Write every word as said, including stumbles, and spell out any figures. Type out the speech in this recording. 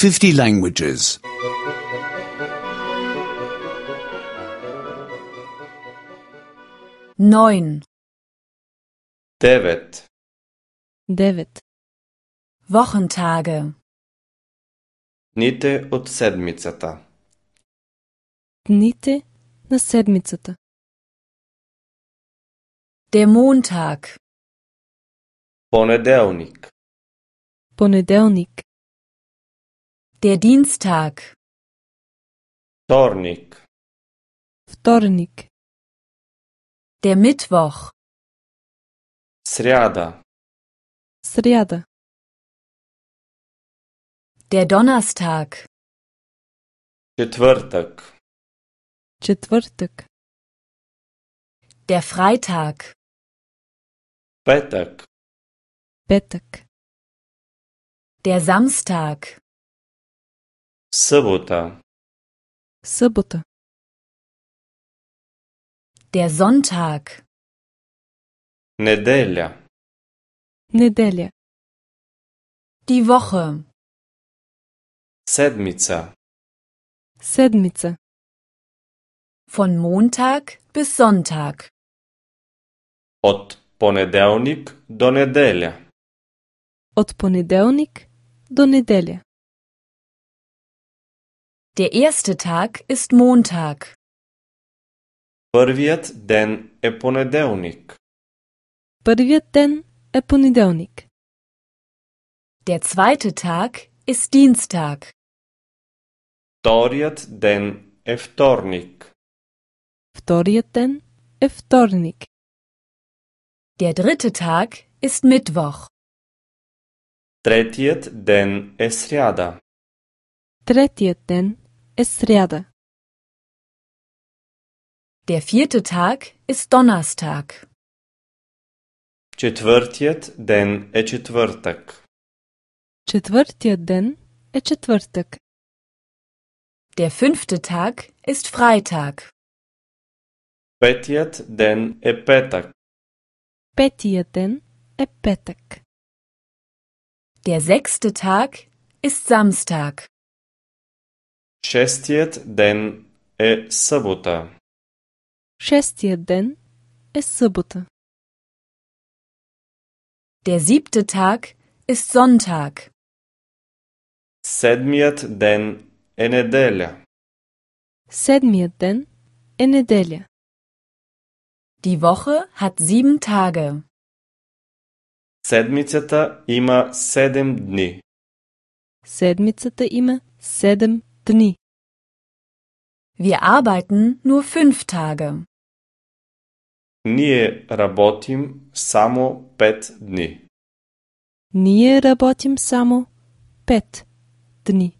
fifty languages. Neun. Девет. Девет. Wochentage. Дните от седмицата. Дните на седмицата. Der Montag. Понеделник. Понеделник. Der Dienstag. Вторник. Вторник. Der Mittwoch. Сряда. Сряда. Der Donnerstag. Четвъртък. Четвъртък. Der Freitag. Петък. Петък. Der Samstag. Събота. Събота. Der Sonntag. Неделя. Неделя. Die Woche. Седмица. Седмица. Von Montag bis Sonntag. От понеделник до неделя. От понеделник до неделя. Der erste Tag ist Montag. Първият ден е понеделник. Първият ден е понеделник. Der zweite Tag ist Dienstag. Вторият ден е вторник. Вторият ден е вторник. Der dritte Tag ist Mittwoch. Третият ден е сряда. Третият ден е сряда. Der vierte Tag ist Donnerstag. Четвъртият ден е четвъртък. Четвъртият ден е четвъртък. Der fünfte Tag ist Freitag. Петият ден е петък. Петият ден е петък. Der sechste Tag ist Samstag. Шестият ден е събота. Шестият ден е събота. Der siebte Tag ist Sonntag. Седмият ден е неделя. Седмият ден е неделя. Die Woche hat sieben Tage. Седмицата има седем дни. Седмицата има седем дни. Wir arbeiten nur fünf Tage. Ние работим само пет дни. Ние работим само пет дни.